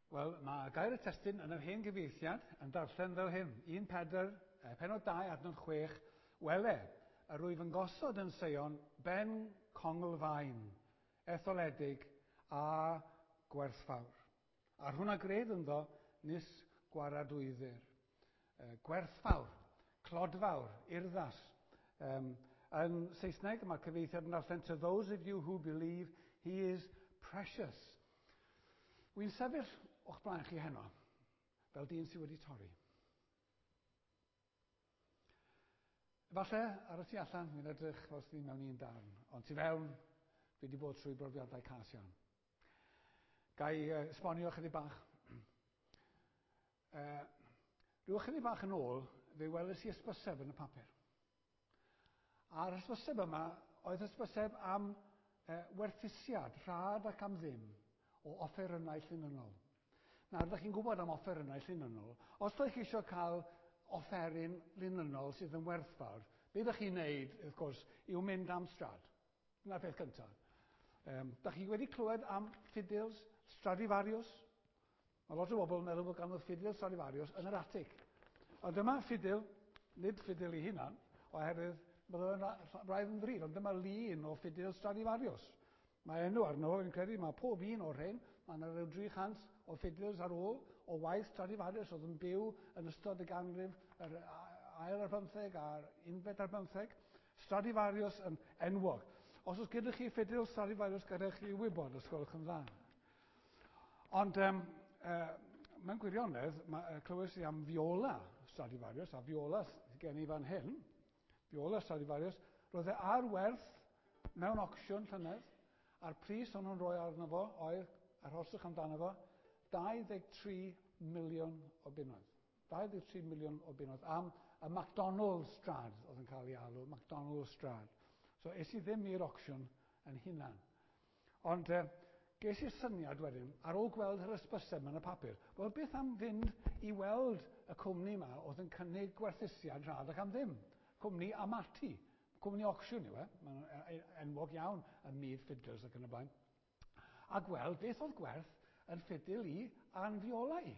Wel, mae gair y testun yn yr hen gyfieithiad yn darllen fel hyn. 1 Pedr, penod 2, adnod 6, Wele, yr wyf yn gosod yn Seion ben conglfaen, etholedig a gwerthfawr. A'r hwn a gred ynddo nis gwaradwyddir. Gwerthfawr, clodfawr, urddas. Yn Saesneg, mae'r cyfieithiad yn darllen, To those of you who believe, he is precious. Wy'n sefyll o'ch blaen chi heno, fel dyn sydd wedi torri. Efallai ar y tu allan, mi'n edrych fel sydd mewn un darn, ond tu fewn, dwi wedi bod trwy brofiadau cas iawn. Ga i esbonio chydig bach? Rhyw ychydig bach yn ôl, fe weles i hysbyseb yn y papur. A'r hysbyseb yma oedd hysbyseb am werthusiad, rhad ac am ddim, o offerynnau llinynnol. Nawr, ydych chi'n gwybod am offerynnau llinynnol. Os ydych chi eisiau cael offeryn linynnol sydd yn werthfawr, be ydych chi'n neud, wrth gwrs, yw mynd am Strad. Dyna'r peth cyntaf. Dych chi wedi clywed am ffidils Stradivarius? Mae lot o bobl yn meddwl bod ganddo ffidil Stradivarius yn yr atig. Ond dyma ffidil, nid ffidil ei hunan, oherwydd bydde fe'n braidd yn ddrud, ond dyma lun o ffidil Stradivarius. Mae enw arno fo, fi'n credu, mae pob un o'r rhain, mae yna rhyw 300 o ffidils ar ôl o waith Stradivarius oedd yn byw yn ystod y ganrif yr ail ar bymtheg a'r unfed ar bymtheg. Stradivarius yn enwog. Os oes gyda chi ffidil Stradivarius, gadewch chi wybod, os gwelwch yn dda. Ond mewn gwirionedd, clywes i am viola Stradivarius, a viola gen i fan hyn, viola Stradivarius, roedd e ar werth mewn ocsiwn llynedd, a'r pris o'n nhw'n rhoi arno fo oedd, arhoswch amdano fo, 23 miliwn o bunnoedd. 23 miliwn o bunnoedd am y McDonald's Strad oedd yn cael ei alw, McDonald's Strad. So es i ddim i'r ocsiwn yn hunan. Ond ges i'r syniad wedyn, ar ôl gweld yr hysbyseb yn y papur, wel beth am fynd i weld y cwmni yma oedd yn cynnig gwerthusiad rhad ac am ddim? Cwmni Amati, cwmni ocsiwn yw e, mae'n enwog iawn ym myd ffidils ac yn y blaen. A gweld beth oedd gwerth yn ffidil i a'n fiola i.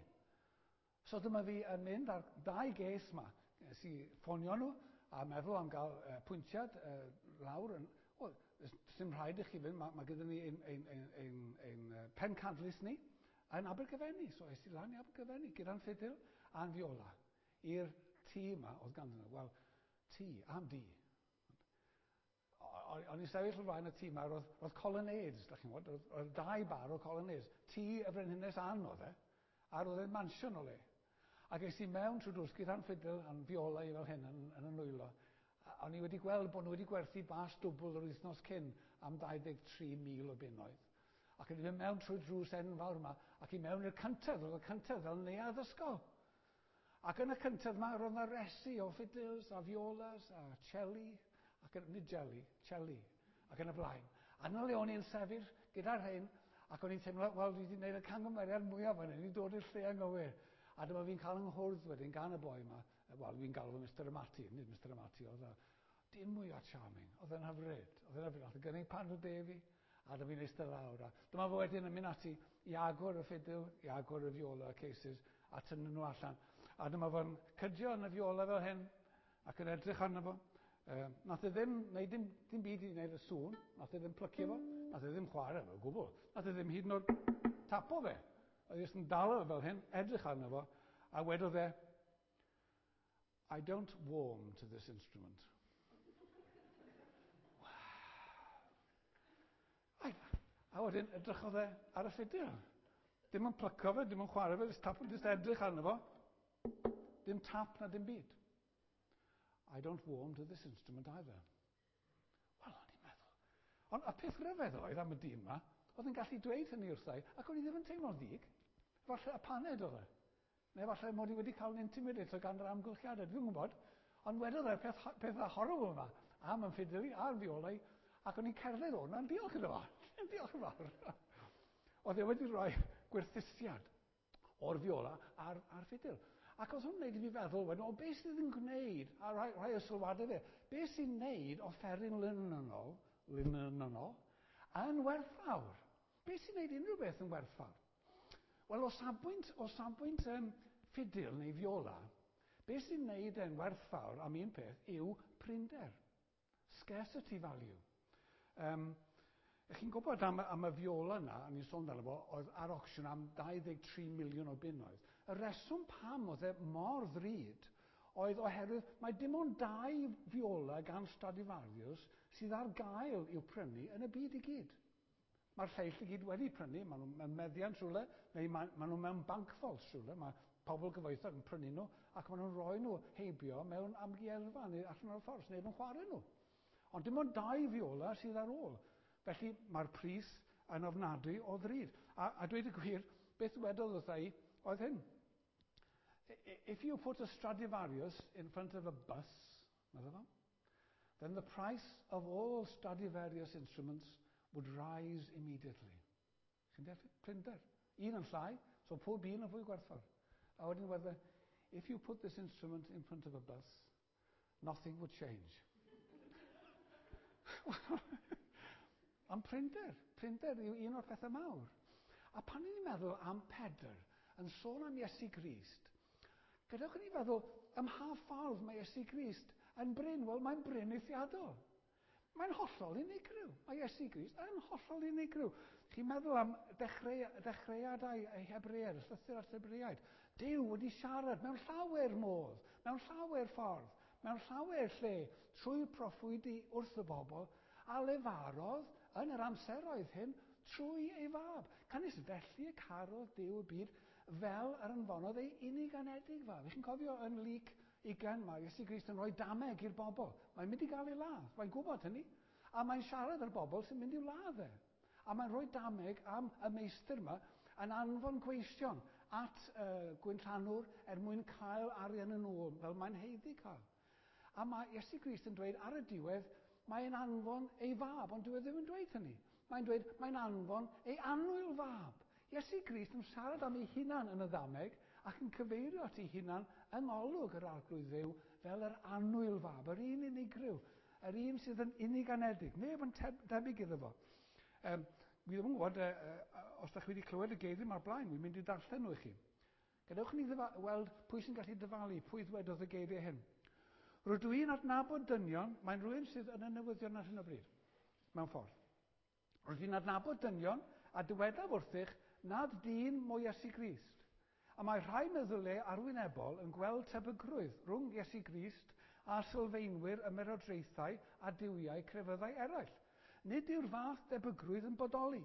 So dyma fi yn mynd ar ddau ges ma. Nes i ffonio nhw a meddwl am gael pwyntiad lawr. Yn, o, dim rhaid i chi fynd, mae gyda ni ein pencadlys ni yn Abergyfenni. So es i lan i Abergyfenni gyda'n ffidil a'n fiola i'r tŷ yma oedd ganddyn nhw. Wel, tŷ, am dŷ. O'n i'n sefyll o flaen y tŷ yma, roedd colonnades, da chi'n gwybod, roedd dau bar o colonnades. Tŷ y Frenhines Anne oedd e, a roedd e'n mansiwn o le. Ac es i mewn trwy drws gyda'n ffidil a'n fiola i fel hyn yn y nwylo. A o'n i wedi gweld bod nhw wedi gwerthu bas dwbl yr wythnos cyn am 23,000 o bunnoedd. Ac o'n i'n mynd mewn trwy drws enfawr yma, ac i mewn i'r cyntedd, roedd y cyntedd fel neuadd ysgol. Ac yn y cyntedd yma, roedd yna resi o fiddles a violas a celli, ac yn, nid jelly, celli, ac yn y blaen. A yna le o'n i'n sefyll gyda'r rhain, ac o'n i'n teimlo, wel, dwi wedi gwneud y camgymeriad mwyaf fan hyn, i dod i'r lle anghywir. A dyma fi'n cael yng nghwrdd wedyn gan y boi yma, wel, fi'n galw fo Mr Amati, nid Mr Amati, oedd o dim mwy o charming, oedd e'n hyfryd, oedd e'n hyfryd, oedd e'n gynnig paned o de fi, a dyma fi'n eistedd lawr. A dyma fo wedyn yn mynd ati i agor y ffidil, i agor y viola cases, a tynnu nhw allan. A dyma fo'n cydio yn y viola fel hyn, ac yn edrych arno fo. Nath e ddim wneud dim byd i wneud y sŵn, nath e ddim plycio fo, nath e ddim chwarae fo o gwbl. Nath e ddim hyd yn oed tapo fe. Oedd e jyst yn dal o fel hyn, edrych arno fo, a wedodd e, I don't warm to this instrument. Wow. A wedyn edrychodd e ar y ffidil. Dim yn plyco fe, dim yn chwarae fe, jyst tap, jyst edrych arno fo. Dim tap na dim byd. I don't warm to this instrument either. Wel, o'n i'n meddwl. Ond y peth rhyfedd oedd am y dyn yma, oedd yn gallu dweud hynny wrtha i, ac o'n i ddim yn teimlo'n ddig. Falle y paned oedd e. Neu falle mod i wedi cael yn intimidated gan yr amgylchiadau, dwi'n gwybod. Ond wedodd e'r peth horrible yma am yn ffidil i a'r fiola i, ac o'n i'n cerdded o hwnna'n diolch iddo fo. Diolch yn fawr. Oedd e wedi rhoi gwerthusiad o'r fiola a'r ffidil. Ac oedd hwn wneud i fi feddwl, wedyn, o beth sydd yn gwneud, a rhai o sylwadau fe, beth sy'n gwneud offeryn linynnol, yn werthfawr? Beth sy'n gwneud unrhyw beth yn werthfawr? Wel, o safbwynt, o safbwynt ffidil neu fiola, beth sy'n neud e'n werthfawr am un peth yw prinder. Scarcity value. Chi'n gwybod am y fiola yna, a ni'n sôn amdano fo, oedd ar auction am 23 miliwn o bunnoedd. Y reswm pam oedd e mor ddrud oedd oherwydd mae dim ond 2 fiola gan Stradivarius sydd ar gael i'w prynu yn y byd i gyd. Mae'r lleill i gyd wedi prynu, maen nhw mewn meddiant rhywle, neu maen nhw mewn bank vaults rhywle, mae pobl gyfoethog yn prynu nhw, ac maen nhw'n rhoi nhw heibio mewn amgueddfa neu allan o'r ffordd, neu yn chwarae nhw. Ond dim ond 2 fiola sydd ar ôl. Felly mae'r pris yn ofnadwy o ddrud. A dweud y gwir, beth wedodd wrtha i oedd hyn. If you put a Stradivarius in front of a bus, medda fo, then the price of all Stradivarius instruments would rise immediately. Chi'n deall? Prinder. Un yn llai, so pob un yn fwy gwerthfawr. A wedyn wedde, if you put this instrument in front of a bus, nothing would change. Ond prinder yw un o'r pethau mawr. A pan ni'n meddwl am Pedr, yn sôn am Iesu Grist, gadewch i ni feddwl ym mha ffordd mae Iesu Grist yn brin. Wel, mae'n brin eithriadol. Mae'n hollol unigryw. Mae Iesu Grist yn hollol unigryw. Chi'n meddwl am dechreuadau Hebreaid, y llythyr at Hebreaid. Duw wedi siarad mewn llawer modd, mewn llawer ffordd, mewn llawer lle, trwy proffwydi wrth y bobl, a lefarodd yn yr amseroedd hyn trwy ei fab. Canys felly y carodd Duw y byd fel yr anfonodd ei unig anedig fab. Chi'n cofio yn Luc 20, mae Iesu Grist yn rhoi dameg i'r bobl. Mae'n mynd i gael ei ladd, mae'n gwybod hynny. A mae'n siarad â'r bobl sy'n mynd i'w ladd e. A mae'n rhoi dameg am y meistr yma yn anfon gweision at gwynllanwr er mwyn cael arian yn ôl, fel mae'n haeddu cael. A mae Iesu Grist yn dweud ar y diwedd, mae'n anfon ei fab, ond dyw e ddim yn dweud hynny. Mae'n dweud, mae'n anfon ei annwyl fab. Iesu Grist yn siarad am ei hunan yn y ddameg ac yn cyfeirio at ei hunan yng ngolwg yr Arglwydd Dduw fel yr annwyl fab, yr un unigryw, yr un sydd yn unig anedig, neb yn debyg iddo fo. Wi ddim yn gwybod os ydych chi wedi clywed y geiriau yma'r blaen, wi'n mynd i darllen nhw i chi. Gadewch ni weld pwy sy'n gallu dyfalu, pwy ddwedodd y geiriau hyn. Rydw i'n adnabod dynion, mae'n rhywun sydd yn y newyddion ar hyn o bryd, mewn ffordd. Rydw i'n adnabod dynion a dywedaf wrthych nad dyn mo Iesu Grist. A mae rhai meddyliau arwynebol yn gweld tebygrwydd rhwng Iesu Grist a sylfaenwyr ymerodraethau a duwiau crefyddau eraill. Nid yw'r fath debygrwydd yn bodoli,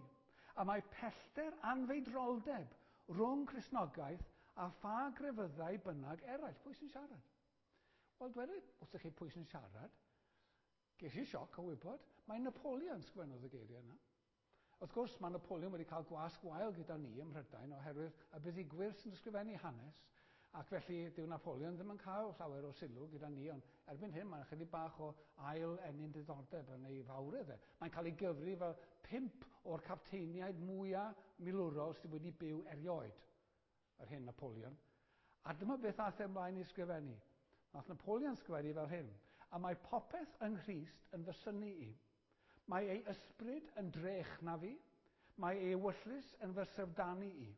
a mae pellter anfeidroldeb rhwng Cristnogaeth a pha grefyddau bynnag eraill. Pwy sy'n siarad? Wel, dwedai wrthych chi pwy sy'n siarad. Ges i sioc o wybod, mae Napoleon sgwennodd y geiriau yna. Wrth gwrs, mae Napoleon wedi cael gwasg wael gyda ni ym Mhrydain oherwydd y buddugwyr sy'n ysgrifennu hanes, ac felly dyw Napoleon ddim yn cael llawer o sylw gyda ni, ond erbyn hyn mae'n ychydig bach o ail ennyn diddordeb yn ei fawredd e. Mae'n cael ei gyfri fel 5 o'r capteiniaid mwyaf milwrol sydd wedi byw erioed, yr hen Napoleon. A dyma beth aeth e ymlaen i ysgrifennu. Nath Napoleon sgrifennu fel hyn: a mae popeth yng Nghrist yn fy synnu i. Mae ei ysbryd yn drech na fi, mae ei ewyllys yn fy syfrdanu i.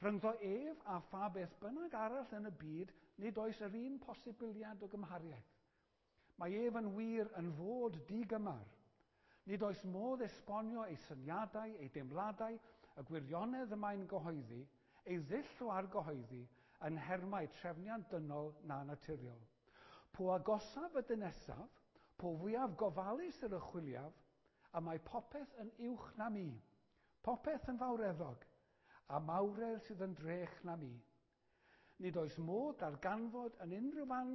Rhyngddo ef a pha beth bynnag arall yn y byd, nid oes yr un posibiliad o gymhariaeth. Mae ef yn wir yn fod digymar. Nid oes modd esbonio ei syniadau, ei deimladau, y gwirionedd y mae'n gyhoeddi, ei ddull o argyhoeddi, yn nhermau trefniant dynol na naturiol. Po agosaf y dynesaf, po fwyaf gofalus yr ychwiliaf, a mae popeth yn uwch na mi, popeth yn fawreddog, a mawredd sydd yn drech na mi. Nid oes modd darganfod yn unrhyw fan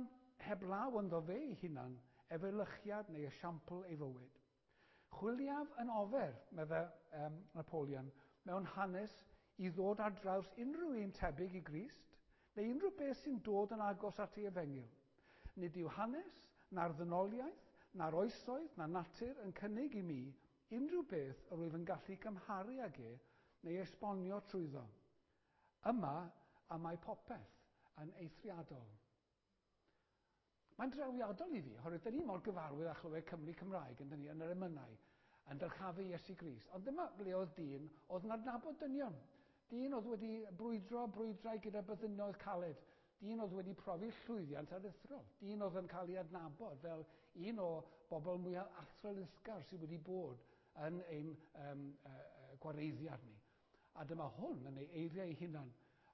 heblaw ynddo fe ei hunan, efelychiad neu esiampl ei fywyd. Chwiliaf yn ofer, medde Napoleon, mewn hanes i ddod ar draws unrhyw un tebyg i Grist, neu unrhyw beth sy'n dod yn agos at ei efengyl. Nid yw hanes, na'r ddynoliaeth, na'r oesoedd, na natur yn cynnig i mi unrhyw beth yr wyf yn gallu cymharu ag e neu esbonio trwyddo. Yma, a mae popeth yn eithriadol. Mae'n drawiadol i fi, oherwydd dyn ni mor gyfarwydd â chlywed Cymru Cymraeg yn dyn ni yn yr emynau, yn dyrchafu Iesu Grist. Ond dyma ble oedd dyn oedd yn adnabod dynion. Dyn oedd wedi brwydro brwydrau gyda byddinoedd caled. Dyn oedd wedi profi llwyddiant aruthrol. Dyn oedd yn cael ei adnabod fel un o bobl mwyaf athrylithgar sydd wedi bod yn ein gwareiddiad ni. A dyma hwn yn ei eiriau ei hunan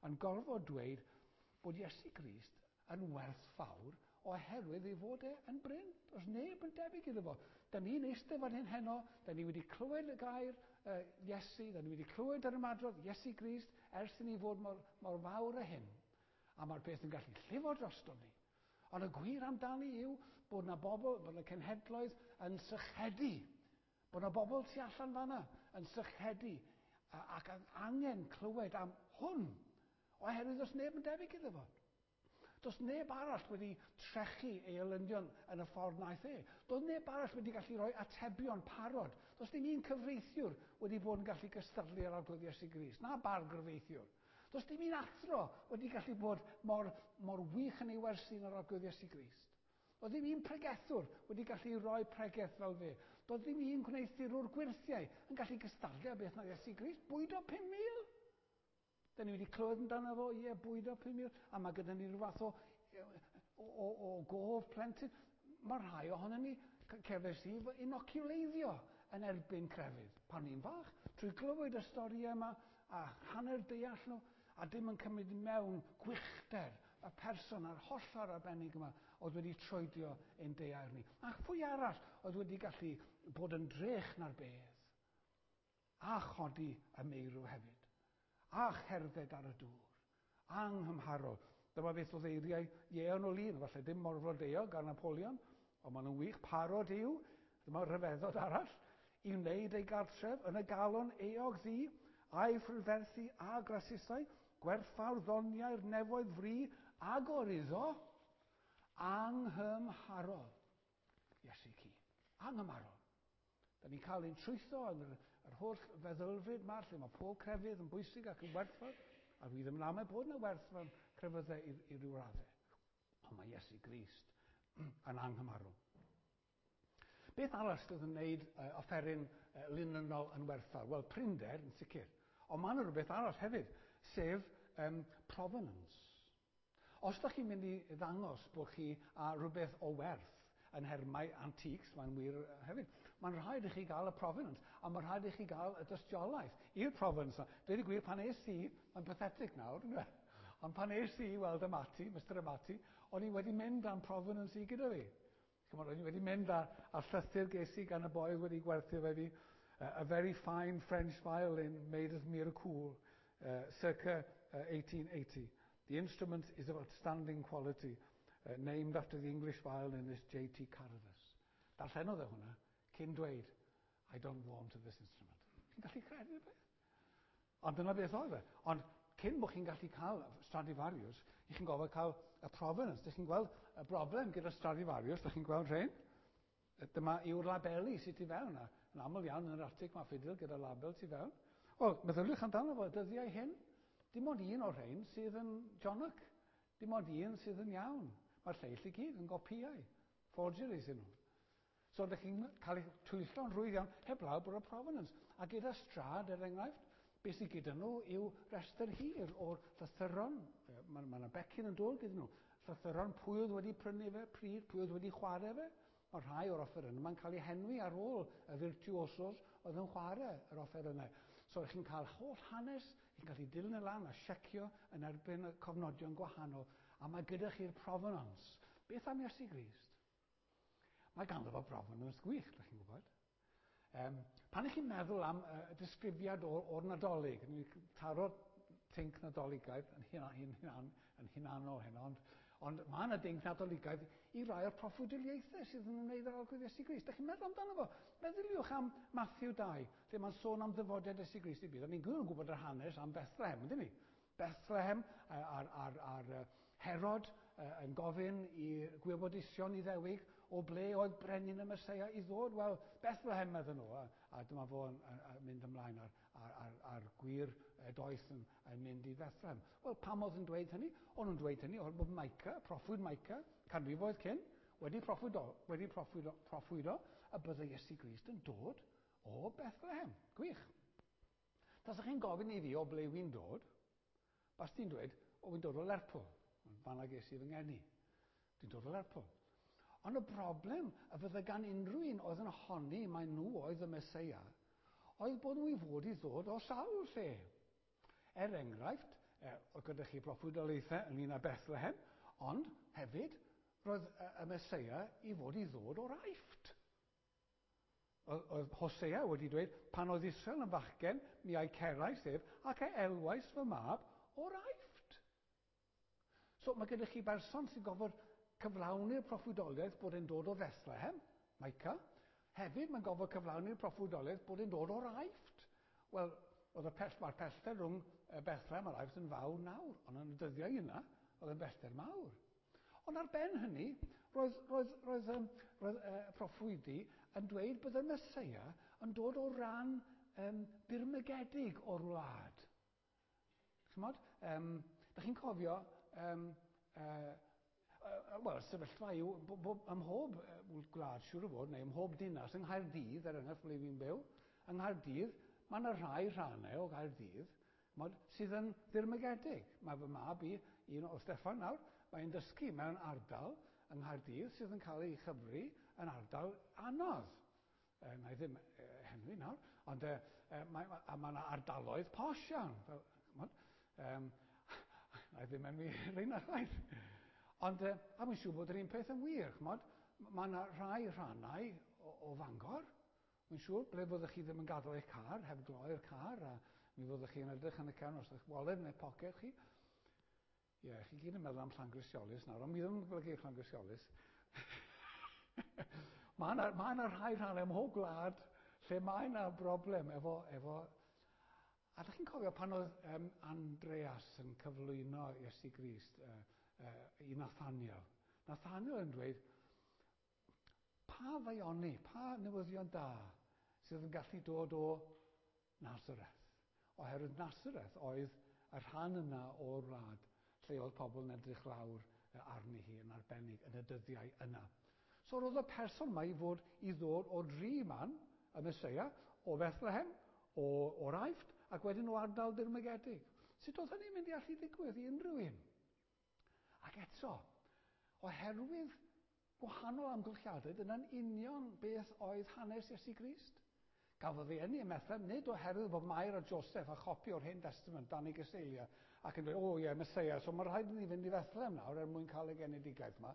yn gorfod dweud bod Iesu Grist yn werthfawr oherwydd ei fod e yn brin. Does neb yn debyg iddo fo. Da ni'n eistedd fan hyn heno, da ni wedi clywed y gair Iesu, da ni wedi clywed yr ymadrodd Iesu Grist ers i ni fod mor fawr â hyn. A mae'r peth yn gallu llifo droston ni. Ond y gwir amdani yw bod na bobl, bod na cenhedloedd yn sychedu. Bod na bobl tu allan fanna yn sychedu ac angen clywed am hwn. Oherwydd does neb yn debyg iddo fo. Does neb arall wedi trechu ei elynion yn y ffordd wnaeth e. Does neb arall wedi gallu rhoi atebion parod. Does dim un cyfreithiwr wedi bod yn gallu gystadlu ar Arglwydd Iesu Grist, na bargyfreithiwr. Does dim un athro wedi gallu bod mor wych yn ei wersi na'r Arglwydd Iesu Grist. Does dim un pregethwr wedi gallu rhoi pregeth fel fe. Does dim un gwneuthurwr gwyrthiau yn gallu gystadlu â beth na Iesu Grist. Bwydo 5,000. Da ni wedi clywed amdano fo, ie, bwydo 5,000, a mae gyda ni rhyw fath o gof plentyn. Mae rhai ohonon ni, cefais i fy inoculeiddio yn erbyn crefydd pan ni'n fach, trwy glywed y storïau yma a hanner deall nhw, a dim yn cymryd mewn gwychder y person a'r hollol arbennig yma oedd wedi troedio ein daear ni. A phwy arall oedd wedi gallu bod yn drech na'r bedd, a chodi y meirw hefyd, a cherdded ar y dŵr, anghymharol. Dyma beth oedd eiriau Ieuan o Lun, falle dim mor flodeuog ar Napoleon, ond maen nhw'n wych, parod yw, dyma rhyfeddod arall, i wneud ei gartref yn y galon eog ddu, a'i phrydferthu a grasusau, gwerthfawr ddoniau'r nefoedd fri, agor iddo, anghymharol. Iesu ci, anghymharol. Da ni'n cael ein trwytho yn yr holl feddylfryd yma, lle mae pob crefydd yn bwysig ac yn werthfawr, a dwi ddim yn amau bod yna werth mewn crefyddau i ryw raddau. Ond mae Iesu Grist yn anghymharol. Beth arall sydd yn gwneud offeryn linynol yn werthfawr? Wel, prinder yn sicr. Ond mae yna rhywbeth arall hefyd, sef provenance. Os ydych chi'n mynd i ddangos bod chi â rhywbeth o werth yn nhermau antiques, mae'n wir hefyd, mae'n rhaid i chi gael y provenance, a mae'n rhaid i chi gael y dystiolaeth i'r provenance. Dweud y gwir, pan es i, mae'n pathetic nawr, ond pan es i weld Amati, Mr Amati, o'n i wedi mynd â'n provenance i gyda fi. Chimod, o'n i wedi mynd â'r llythyr ges i gan y boi wedi gwerthu fe fi, a very fine French violin made at Mirecourt, circa 1880. The instrument is of outstanding quality, named after the English violinist J.T. Carruthers. Darllenodd e hwnna cyn dweud, I don't warm to this instrument. Chi'n gallu credu'r beth? Ond dyna beth oedd e. Ond cyn bod chi'n gallu cael Stradivarius, i chi'n gofio cael y provenance. Dych chi'n gweld y broblem gyda Stradivarius, dych chi'n gweld rhain? Dyma yw'r labeli sydd tu fewn. A yn aml iawn yn yr atig mae ffidil gyda label tu fewn. Wel, meddyliwch amdano fo, dyddiau hyn, dim ond un o'r rhain sydd yn Jonac. Dim ond un sydd yn iawn. Mae'r lleill i gyd yn gopïau. Forgeries ydyn nhw. So, ydych chi'n cael eich twyllo'n rhwydd iawn, heblaw bod y provenance. A gyda Strad, er enghraifft, beth sydd gyda nhw yw rhestr hir o'r llythyron. Mae yna becyn yn dod gyda nhw. Llythyron, pwy oedd wedi prynu fe, pryd, pwy oedd wedi chwarae fe. Mae rhai o'r offerynnau yma'n cael eu henwi ar ôl y virtuosos oedd yn chwarae yr offerynnau. So, chi'n cael holl hanes, chi'n gallu dilyn y lan a siecio yn erbyn y cofnodion gwahanol, a mae gyda chi'r provenance. Beth am Iesu Grist? Mae ganddo fo provenance gwych, ydych chi'n gwybod. Pan ych chi'n meddwl am y disgrifiad o'r Nadolig, ni'n taro tinc Nadoligaidd yn hunanol heno, ond mae yna dinc Nadoligaidd i rai o'r proffwydoliaethau sydd yn ymwneud â'r Arglwydd Iesu Grist. Dych chi'n meddwl amdano fo? Meddyliwch am Matthew 2, lle mae'n sôn am ddyfodiad Iesu Grist i byd. A ni'n gwybod yr hanes am Bethlehem, yndyn ni? Bethlehem a'r Herod yn gofyn i gwybodusion Iddewig o ble oedd brenin y Meseia i ddod. Wel, Bethlehem meddyn nhw, a dyma fo yn mynd ymlaen ar gwir doeth yn mynd i Bethlehem. Wel, pam oedd yn dweud hynny? O'n nhw'n dweud hynny oherwydd bod Micah, proffwyd Micah, canrifoedd cyn, wedi proffwydo y byddai Iesu Grist yn dod o Bethlehem. Gwych. Tasach chi'n gofyn i fi o ble wy'n dod, bas ti'n dweud, o wy'n dod o Lerpwl. Fanna ges i fy ngeni. Dwi'n dod o Lerpwl. Ond y broblem y fydde gan unrhyw un oedd yn honni mai nhw oedd y Meseia, oedd bod nhw i fod i ddod o sawl lle. Er enghraifft, oedd gyda chi broffwydoliaethau ynglyn â Bethlehem, ond hefyd roedd y Meseia i fod i ddod o'r Aifft. Oedd Hosea wedi dweud, pan oedd Israel yn fachgen, mi a'i cerais ef, ac e elwais fy mab o'r Aifft. So mae gyda chi berson sy'n gofod cyflawni'r proffwydoliaeth bod e'n dod o Fethlehem, Micah. Hefyd mae'n gofod cyflawni'r proffwydoliaeth bod e'n dod o'r Aifft. Wel, oedd y pell, mae'r pellter rhwng Bethlehem a'r Aifft yn fawr nawr, ond yn y dyddiau yna, oedd yn bellter mawr. Ond ar ben hynny, roedd, roedd, roedd, um, roedd proffwydi yn dweud bod y Meseia yn dod o ran dirmygedig o'r wlad. Chymod? Da chi'n cofio, wel, sefyllfa yw, ym mhob gwlad, siŵr o fod, neu ym mhob dinas, yng Nghaerdydd, er enghraifft ble fi'n byw, yng Nghaerdydd, mae yna rhai rhannau o Gaerdydd mod, sydd yn ddirmygedig. Mae fy mab i, un o Steffan nawr, mae'n dysgu mewn ardal yng Nghaerdydd sydd yn cael ei chyfri yn ardal anodd. Na i ddim henwi nawr, ond mae yna ardaloedd posh iawn. Fel, chymod, na i ddim enwi rheina chwaith. Ond, a mae'n siŵr bod yr un peth yn wir, chymod, mae yna rhai rhannau o, o Fangor, mae'n siŵr, ble fyddwch chi ddim yn gadael eich car, heb gloi'r car, a mi fyddwch chi'n edrych yn y cefn os ydych waled neu poced chi. Ie, yeah, chi gyd yn meddwl am Llangrisiolis nawr, ond mi ddim yn golygu Llangrisiolis. Mae yna, mae yna rhai rhannau ym mhob gwlad lle mae yna broblem efo... efo a ydych chi'n cofio pan oedd Andreas yn cyflwyno Iesu Grist i Nathaniel? Nathaniel yn dweud, pa faioni, pa newyddion da sydd yn gallu dod o Nazareth? Oherwydd Nazareth oedd y rhan yna o'r wlad lle oedd pobl yn edrych lawr arni hi yn arbennig yn y dyddiau yna. So roedd y person yma i fod i ddod o dri man, y Meseia, o Bethlehem, o, o'r Aifft, ac wedyn o ardal dirmygedig. Sut oedd hynny'n mynd i allu ddigwydd i unrhyw un? Ac eto, oherwydd gwahanol amgylchiadau, dyna'n union beth oedd hanes Iesu Grist. Gafodd ei eni ym Methlehem, nid oherwydd bod Mair a Joseph a chopi o'r Hen Testament dan ei gyseiliau ac yn dweud, o ie, Meseia, so mae rhaid i ni fynd i Bethlehem nawr er mwyn cael y genedigaeth yma.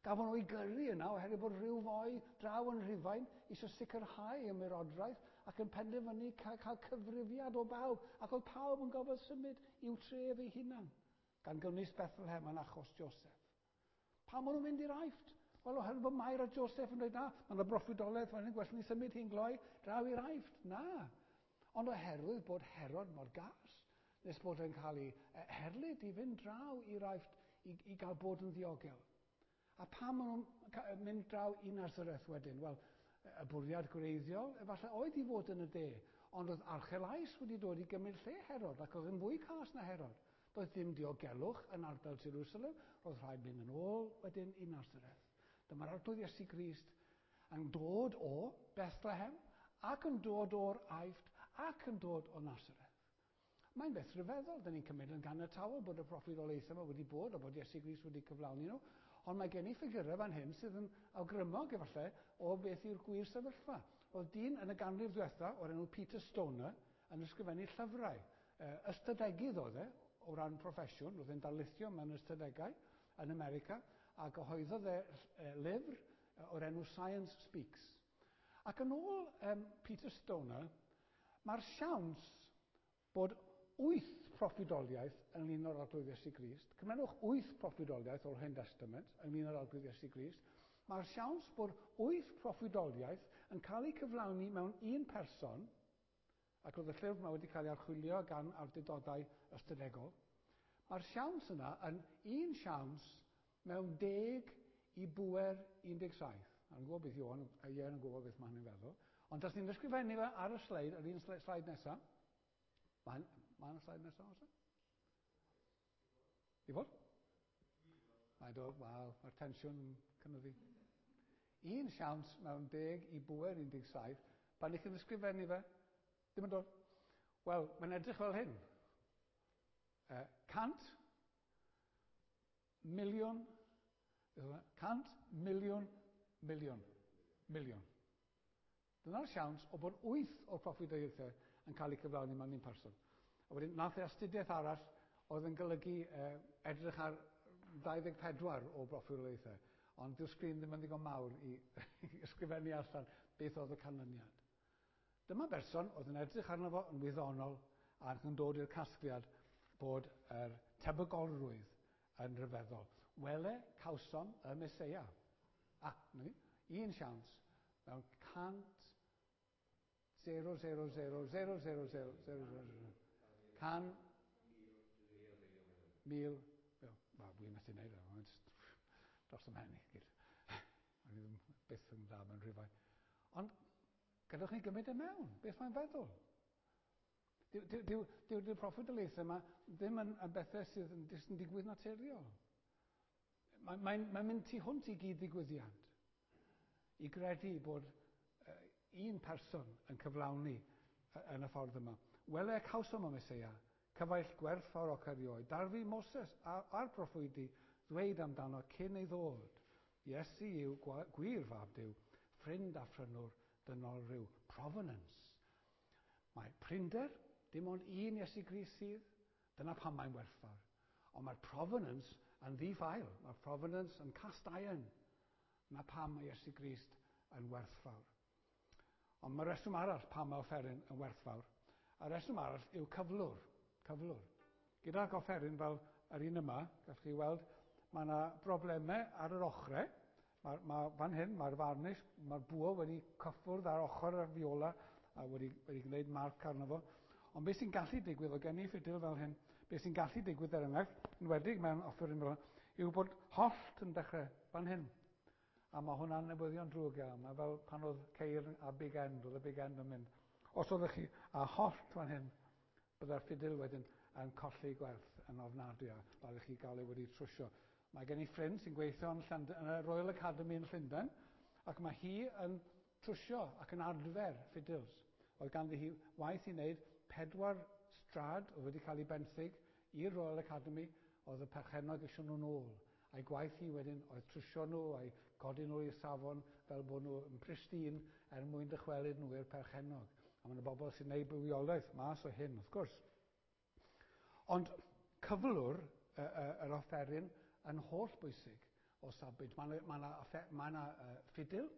Gafon nhw ei gyrru yna oherwydd bod rhyw foi draw yn Rhufain eisiau sicrhau ymerodraeth ac yn penderfynu cael, cael cyfrifiad o bawb, ac oedd pawb yn gofod symud i'w tref ei hunan, gan gynnwys Bethlehem yn achos Joseph. Pam maen nhw'n mynd i'r Aifft? Wel, oherwydd bod Mair a Joseph yn dweud, na, mae yna broffwydoliaeth fan hyn, gwell ni symud hi'n gloi draw i'r Aifft. Na. Ond oherwydd bod Herod mor gas, nes bod e'n cael ei herlid i fynd draw i'r Aifft i, i gael bod yn ddiogel. A pam maen nhw'n mynd draw i Nazareth wedyn? Wel, y bwriad gwreiddiol efallai oedd i fod yn y de, ond oedd Archelaus wedi dod i gymryd lle Herod ac oedd yn fwy cas na Herod. Doedd dim diogelwch yn ardal Jerusalem, roedd rhaid mynd yn ôl wedyn i Nazareth. Dyma'r arglwydd Iesu Grist yn dod o Bethlehem ac yn dod o'r Aifft ac yn dod o Nazareth. Mae'n beth rhyfeddol, dyn ni'n cymryd yn ganiataol bod y proffwydoliaethau yma wedi bod a bod Iesu Grist wedi cyflawni nhw, ond mae gen i ffigurau fan hyn sydd yn awgrymog efallai o beth yw'r gwir sefyllfa. Oedd dyn yn y ganrif ddiwetha o'r enw Peter Stoner yn ysgrifennu llyfrau. Ystadegydd oedd e o ran proffesiwn, oedd e'n darlithio mewn ystadegau yn America, a gyhoeddodd e lyfr o'r enw Science Speaks. Ac yn ôl Peter Stoner, mae'r siawns bod 8 proffwydoliaeth ynglyn â'r Arglwydd Iesu Grist, cymerwch 8 proffwydoliaeth o'r Hen Testament ynglyn â'r Arglwydd Iesu Grist, mae'r siawns bod 8 proffwydoliaeth yn cael eu cyflawni mewn un person, ac roedd y llyfr yma wedi cael ei archwilio gan awdurdodau ystadegol, mae'r siawns yna yn un siawns mewn 10 i bŵer 17. A'n gwybod beth Ioan, a Ieuan yn gwybod beth mae hynny'n feddwl. Ond tas ni'n ysgrifennu fe ar y sleid, yr un sleid nesaf. Mae'n ma y sleid nesaf, oes e? I fod? Mae'n dod, wel, mae'r tensiwn yn cynyddu. Un siawns mewn 10 i bŵer 17, pan ych chi'n ysgrifennu fe, ddim yn dod. Wel, mae'n edrych fel hyn. 100 miliwn, 100 miliwn, miliwn, miliwn. Dyna'r siawns o bod 8 o'r proffwydoliaethau yn cael eu cyflawni mewn un person. A wedyn, nath e astudiaeth arall oedd yn golygu edrych ar 24 o broffwydoliaethau. Ond dyw'r sgrin ddim yn ddigon mawr i ysgrifennu allan beth oedd y canlyniad. Dyma berson oedd yn edrych arno fo yn wyddonol ac yn dod i'r casgliad bod yr tebygolrwydd yn rhyfeddol. Wele cawsom y Meseia. A, na ni, un siawns mewn 100 0, 0, 0, 0, 0, 0, 0, 0, 0, 100, 1000, wel, wi'n methu wneud e, mae'n just dros y mhen i gyd. O'n i ddim byth yn dda mewn rhifau. Ond gadewch ni gymryd e mewn, beth mae'n feddwl. Dyw'r dyw, dyw, dyw proffwydoliaethau yma ddim yn bethau sydd yn, yn digwydd naturiol. Mae'n mae, mae mynd tu hwnt i gyd ddigwyddiad. I gredu bod un person yn cyflawni yn y ffordd yma. Wele cawsom y Meseia, cyfaill gwerthfawr oc erioed. Darfu Moses a'r proffwydi ddweud amdano cyn ei ddod. Iesu yw gwir fab Duw, ffrind a phrynwr dynol rhyw. Provenance. Mae prinder, dim ond un Iesu Grist sydd, dyna pam mae'n werthfawr. Ond mae'r provenance yn ddi-ffael. Mae'r provenance yn cast iron. Na pam mae Iesu Grist yn werthfawr. Ond mae reswm arall pam mae offeryn yn werthfawr. A reswm arall yw cyflwr. Cyflwr. Gydag offeryn fel yr un yma, gallwch chi weld, mae yna broblemau ar yr ochrau. Mae fan hyn, mae'r varnish, mae'r bwa wedi cyffwrdd ar ochr y fiola a wedi gwneud marc arno fo. Ond beth sy'n gallu digwydd, o gen i ffidil fel hyn, beth sy'n gallu digwydd er enghraifft, yn wedig mewn offeryn fel hyn, yw bod hollt yn dechrau fan hyn. A mae hwnna'n newyddion drwg iawn. Mae fel pan oedd ceir a big end, oedd y big end yn mynd. Os oeddech chi a hollt fan hyn, byddai'r ffidil wedyn yn colli gwerth yn ofnadwy a rhaid chi gael ei wedi trwsio. Mae gen i ffrind sy'n gweithio yn y Royal Academy yn Llundain, ac mae hi yn trwsio ac yn adfer ffidils. Oedd ganddi hi waith i wneud 4 strad oedd wedi cael ei benthyg i'r Royal Academy, oedd y perchennog eisiau nhw'n ôl. A'i gwaith hi wedyn oedd trwsio nhw a'i godi nhw i'r safon fel bod nhw yn pristine er mwyn dychwelyd nhw i'r perchennog. A mae yna bobl sy'n gwneud bywiolaeth mas o hyn, wrth gwrs. Ond cyflwr yr offeryn yn holl bwysig o safbwynt. Mae yna ffidil.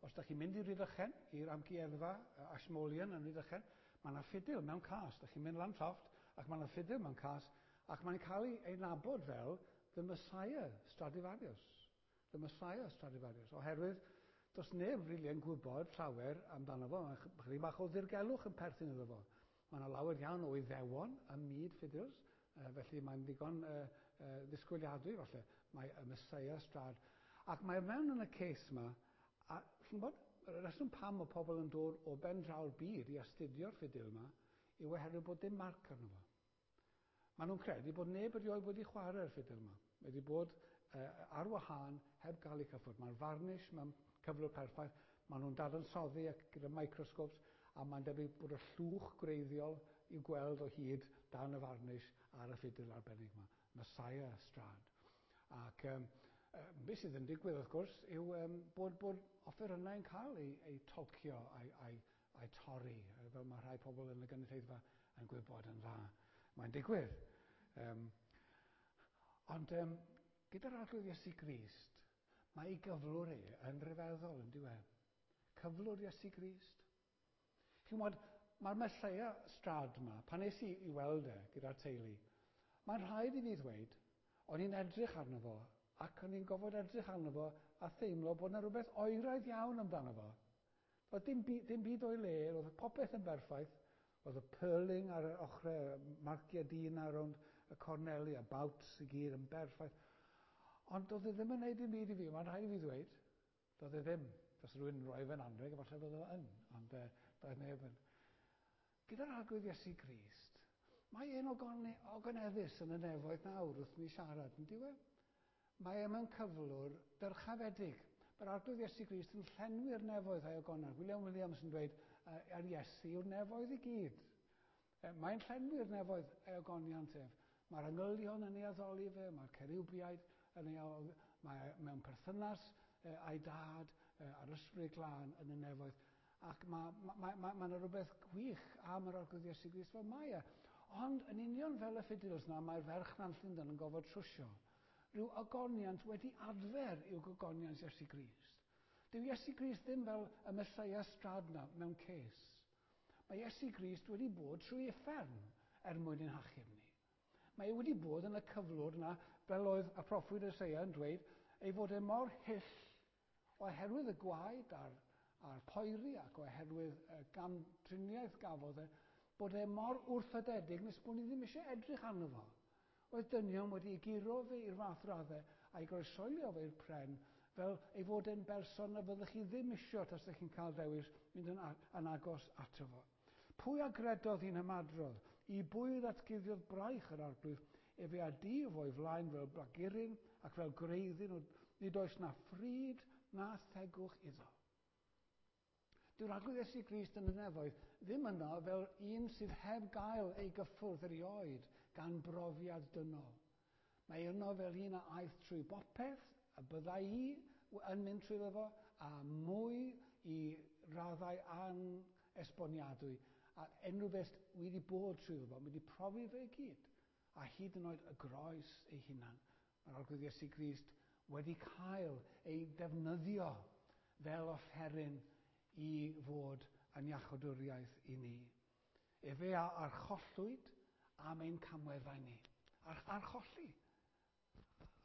Os ydych chi'n mynd i Rhydychen, i'r amgueddfa Ashmolean yn Rhydychen, mae yna ffidil mewn cas. Ydych chi'n mynd lan llofft ac mae yna ffidil mewn cas ac mae'n cael ei nabod fel The Messiah Stradivarius. The Messiah Stradivarius. Oherwydd does neb rili yn gwybod llawer amdano fo. Mae chydig bach o ddirgelwch yn perthyn iddo fo. Mae yna lawer iawn o Iddewon ym myd ffidils, felly mae'n ddigon ddisgwyliadwy falle. Mae y Messiah Strad. Ac mae mewn yn y case yma, a chi'n gwybod, y reswm pam mae pobl yn dod o ben draw'r byd i astudio'r ffidil yma yw oherwydd bod dim marc arno fo. Maen nhw'n credu bod neb erioed wedi chwarae'r ffidil yma. Mae wedi bod ar wahân heb gael ei cyffwrdd. Mae'r varnish mewn cyflwr perffaith. Maen nhw'n dadansoddi ac gyda microscopes a mae'n debyg bod y llwch gwreiddiol i'w gweld o hyd dan y varnish ar y ffidil arbennig yma. Messiah Strad. Ac beth sydd yn digwydd, wrth gwrs, yw bod offerynnau'n cael ei tolcio a'i torri, fel mae rhai pobl yn y gynulleidfa yn gwybod yn dda. Mae'n digwydd. Ond gyda'r Arglwydd Iesu Grist, mae ei gyflwr e yn rhyfeddol, yn dyw e? Cyflwr Iesu Grist. Chi'n gwybod, mae'r Messiah Strad yma, pan es i i weld e gyda'r teulu, mae'n rhaid i fi ddweud, o'n i'n edrych arno fo, ac o'n i'n gofod edrych arno fo a theimlo bod yna rhywbeth oeraidd iawn amdano fo. Doedd dim byd o'i le, roedd popeth yn berffaith, oedd y purling ar yr ochrau, marciau dyn ar rownd y corneli a bouts i gyd yn berffaith. Ond doedd e ddim yn gwneud dim byd i fi, mae'n rhaid i fi ddweud. Doedd e ddim. Os rhywun yn rhoi fe'n anrheg, efallai bydd o yn, ond doedd neb yn. Gyda'r Arglwydd Iesu Grist, mae e'n ogoneddus yn y nefoedd nawr wrth ni siarad, yn dyw e? Mae e mewn cyflwr dyrchafedig. Mae'r Arglwydd Iesu Grist yn llenwi'r nefoedd a'i ogonedd. William Williams yn dweud, ar Iesu yw'r nefoedd i gyd. Mae'n llenwi'r nefoedd ei ogoniant ef. Mae'r angylion yn ei addoli fe, mae'r ceriwbiaid yn ei addoli, mae mewn perthynas a'i dad a'r ysbryd glân yn y nefoedd. Ac mae ma, ma, ma, ma yna rhywbeth gwych am yr Arglwydd Iesu Grist fel mae e. Ond yn union fel y ffidils na, mae'r ferch na'n Llundain yn gofod trwsio. Rhyw ogoniant wedi adfer i'w gogoniant Iesu Grist. Dyw Iesu Grist ddim fel y Mesoea strad na mewn ces. Mae Iesu Grist wedi bod trwy uffern er mwyn ein hachub ni. Mae e wedi bod yn y cyflwr na, fel oedd y proffwyd Eseia yn dweud, ei fod e mor hyll oherwydd y gwaed a'r, a'r poeri ac oherwydd y gamdriniaeth gafodd e, bod e mor wrthodedig nes bod ni ddim eisiau edrych arno fo. Oedd dynion wedi ei guro fe i'r fath raddau a'i groesoelio fe i'r pren fel ei fod e'n berson na fyddech chi ddim isio tasech chi'n cael dewis mynd yn, yn agos ato fo. Pwy a gredodd i'n ymadrodd? I bwy ddatguddiodd braich yr arglwydd? Efe a dif o'i flaen fel blaguryn ac fel gwreiddyn, nid oes na phryd na thegwch iddo. Dyw'r Arglwydd Iesu Grist yn y nefoedd ddim yno fel un sydd heb gael ei gyffwrdd erioed gan brofiad dynol. Mae yno fel un a aeth trwy bopeth y byddai i yn mynd trwyddo fo, a mwy i raddau anesboniadwy, a unrhyw beth wedi bod trwyddo fo, wedi profi fe i gyd, a hyd yn oed y groes ei hunan. Mae'r Arglwydd Iesu Grist wedi cael ei defnyddio fel offeryn i fod yn iachawdwriaeth i ni. Efe a archollwyd am ein camweddau ni. Ar, archolli.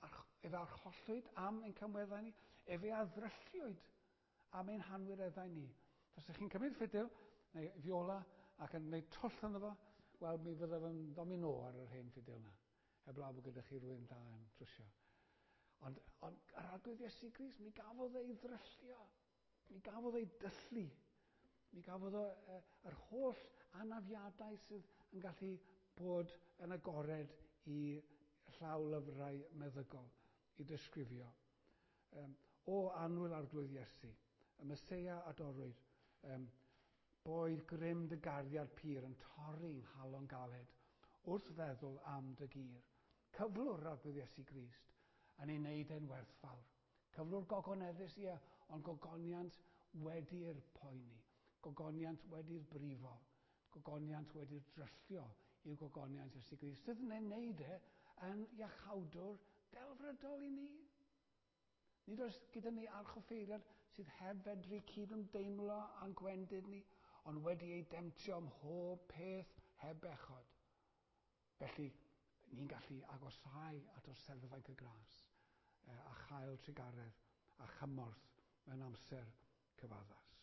Arch, efe archollwyd am ein camweddau ni. Efe a ddrylliwyd am ein hanwireddau ni. Tasech chi'n cymryd ffidil neu fiola ac yn gwneud twll ynddo fo, wel mi fyddaf yn domino ar yr hen ffidil yna. Heblaw bod gyda chi rhywun da yn trwsio. Ond, ond yr Arglwydd Iesu Grist, mi gafodd ei ddryllio. Mi gafodd ei dyllu. Mi gafodd o yr holl anafiadau sydd yn gallu bod yn agored i llaw lyfrau meddygol i ddisgrifio. Um, o annwyl Arglwydd Iesu, y Meseia a dorwyd, um, boed grym dy gariad pur yn torri nghalon galed wrth feddwl am dy gyr. Cyflwr Arglwydd Iesu Grist yn ei wneud e'n werthfawr. Cyflwr gogoneddus, ie, ond gogoniant wedi'r poeni, gogoniant wedi'r brifo, gogoniant wedi'r dryllio i'w gogoniant Iesu Grist, sydd yn ei wneud e yn iachawdwr delfrydol i ni. Nid oes gyda ni archoffeiriad sydd heb fedru cydymdeimlo â'n gwendid ni, ond wedi ei demtio ym mhob peth heb bechod. Felly, ni'n gallu agosáu at orseddfainc y gras a chael trugaredd a chymorth mewn amser cyfaddas.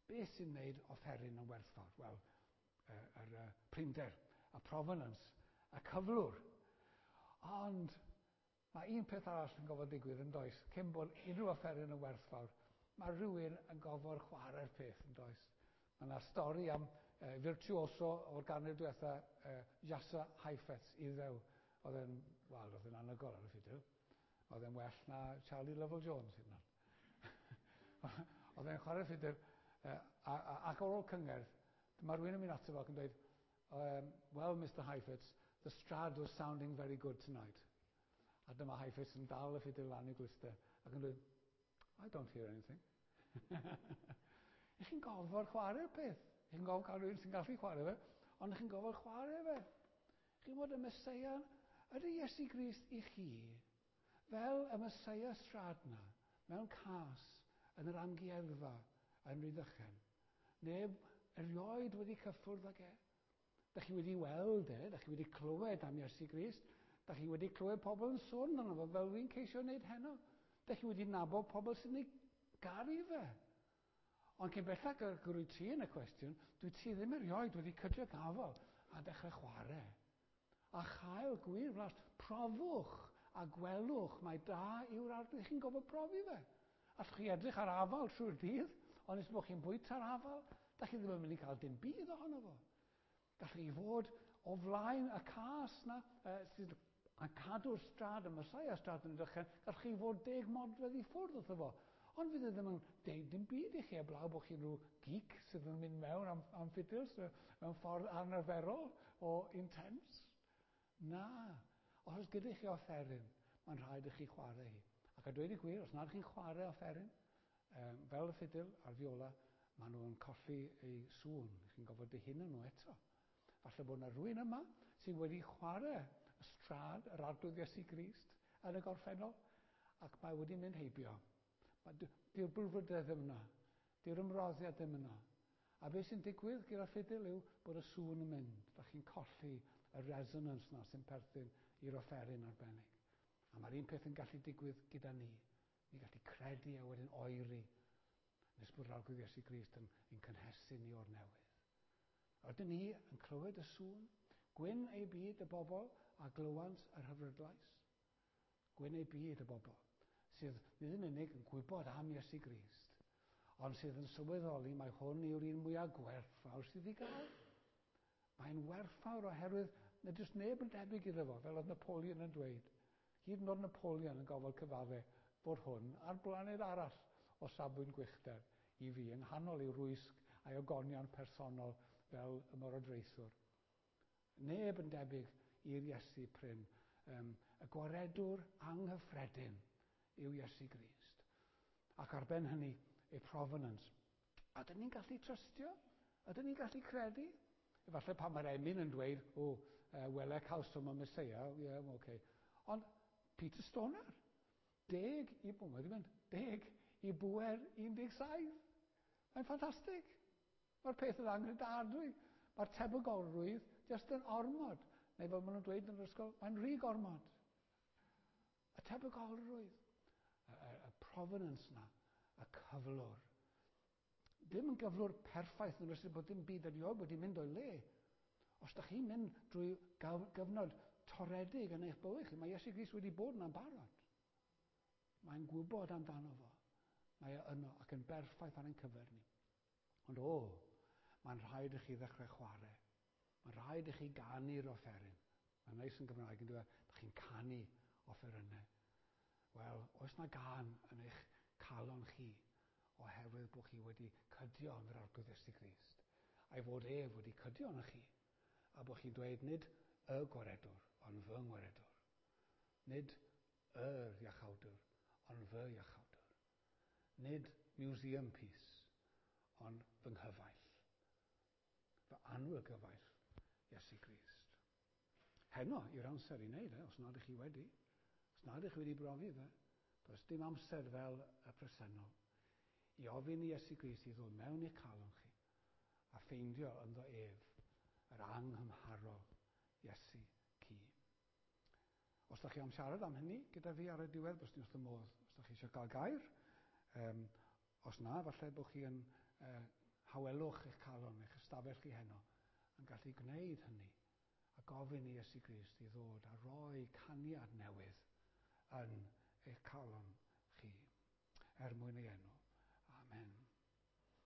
Beth sy'n wneud offeryn yn werthfawr? Wel, yr prinder, y provenance, y cyflwr. Ond mae un peth arall yn gofod digwydd yn does, cyn bod unrhyw offeryn yn werthfawr, mae rhywun yn gofod chwarae'r peth yn does. Mae yna stori am virtuoso o'r ganrif diwetha, Jascha Heifetz, Iddew. Oedd e'n, wel, oedd e'n anhygoel ar y ffidil. Oedd e'n well na Charlie Lovell Jones hyd yn oed. Oedd e'n chwarae'r ffidil, ac ar ôl cyngerdd, dyma rhywun yn mynd ato fo ac yn dweud, "Well, Mr Heifetz, the Strad was sounding very good tonight." A dyma Heifetz yn dal y ffidil lan i'w glustau ac yn dweud, "I don't hear anything." Ych chi'n gofod chwarae'r peth. Ych chi'n gofod cael rhywun sy'n gallu chwarae fe, ond ych chi'n gofod chwarae fe. Chi'n bod y Meseia, ydy Iesu Grist i chi, fel y Meseia strad na, mewn cas yn yr amgueddfa yn Rhydychen. Neb erioed wedi cyffwrdd ag e. Da chi wedi weld e, da chi wedi clywed am Iesu Grist, da chi wedi clywed pobl yn sôn amdano fo fel fi'n ceisio wneud heno. Da chi wedi nabod pobl sy'n ei garu fe. Ond cyn bellach rwyt ti yn y cwestiwn, dwi ti ddim erioed wedi cydio gafel a dechrau chwarae. A chael gwir flas, profwch a gwelwch mae da yw'r Arglwydd. Chi'n gofod profi fe. Allwch chi edrych ar afal trwy'r dydd, ond nes bod chi'n bwyta'r afal, da chi ddim yn mynd i cael dim byd ohono fo. Gallwch chi fod o flaen y cas na, sydd yn cadw'r strad, y Messiah strad yn dechrau, gallwch chi fod 10 modfedd i ffwrdd wrtho fo. Ond fydd e ddim yn deud dim byd i chi eblaw bod chi'n rhyw geek sydd yn mynd mewn am ffidils mewn ffordd anarferol o intense. Na. Os oes gyda chi offeryn, mae'n rhaid i chi chwarae hi. Ac a dweud y gwir, os nad chi'n chwarae offeryn, fel y ffidil a'r fiola, maen nhw'n colli eu sŵn. Chi'n gofod dihuno nhw eto. Falle bod yna rhywun yma sydd wedi chwarae y strad, yr Arglwydd Iesu Grist, yn y gorffennol, ac mae wedi mynd heibio. Dyw'r brwdfrydedd ddim yna. Dyw'r ymroddiad ddim yna. A beth sy'n digwydd gyda ffidil yw bod y sŵn yn mynd. Da chi'n colli y resonance na sy'n perthyn i'r offeryn arbennig. A mae'r un peth yn gallu digwydd gyda ni. Ni'n gallu credu a wedyn oeri nes bod yr Arglwydd Iesu Grist yn cynhesu ni o'r newydd. Ydyn ni yn clywed y sŵn? Gwyn ei byd y bobl a glywant yr hyfrydlais. Gwyn ei byd y bobl sydd nid yn unig yn gwybod am Iesu Grist, ond sydd yn sylweddoli mai hwn yw'r un mwyaf gwerthfawr sydd i gael. Mae'n werthfawr oherwydd nad oes neb yn debyg iddo fo, fel oedd Napoleon yn dweud. Hyd yn oed Napoleon yn gofod cyfadde fod hwn ar blaned arall o safbwynt gwychder i fi, yng nghanol ei rwysg a'i ogoniant personol fel y morodraethwr. Neb yn debyg i'r Iesu prin. Y gwaredwr anghyffredin yw Iesu Grist. Ac ar ben hynny, ei provenance. Ydyn ni'n gallu trystio? Ydyn ni'n gallu credu? Efallai pan mae'r emyn yn dweud, o, wele cawsom y Meseia, ie, yeah, okay. Ond Peter Stoner, 10 i, o, mae wedi mynd, 10 i bŵer 17. Mae'n ffantastig. Mae'r peth yn anghredadwy. Mae'r tebygolrwydd jyst yn ormod. Neu fel maen nhw'n dweud yn yr ysgol, mae'n rhy gormod. Y tebygolrwydd, y provenance na, y cyflwr. Dim yn gyflwr perffaith yn ystod bod dim byd erioed wedi mynd o'i le. Os da chi'n mynd drwy gyfnod toredig yn eich bywyd chi, mae Iesu Grist wedi bod yna'n barod. Mae'n gwybod amdano fo. Mae e yno ac yn berffaith ar ein cyfer ni. Ond o, mae'n rhaid i chi ddechrau chwarae. Mae'n rhaid i chi ganu'r offeryn. Mae'n neis yn Gymraeg yn dweud, da chi'n canu offerynnau. Wel, oes na gân yn eich calon chi oherwydd bod chi wedi cydio yn yr Arglwydd Iesu Grist, a'i fod ef wedi cydio yn chi, a bod chi'n dweud nid y gwaredwr, ond fy ngwaredwr. Nid yr iachawdwr, ond fy iachawdwr. Nid museum piece, ond fy nghyfaill. Fy annwyl gyfaill, Iesu Grist. Heno yw'r amser i wneud e, os nad ych chi wedi. Os nad ych chi wedi brofi fe, does dim amser fel y presennol i ofyn i Iesu Grist i ddod mewn i'ch calon chi a ffeindio ynddo ef yr anghymharol Iesu cu. Os da chi am siarad am hynny gyda fi ar y diwedd, bys ni wrth y modd os da chi eisiau gael gair. Os na, falle bod chi yn hawelwch eich calon, eich ystafell chi heno, yn gallu gwneud hynny a gofyn i Iesu Grist i ddod a roi caniad newydd yn eich calon chi, er mwyn ei enw.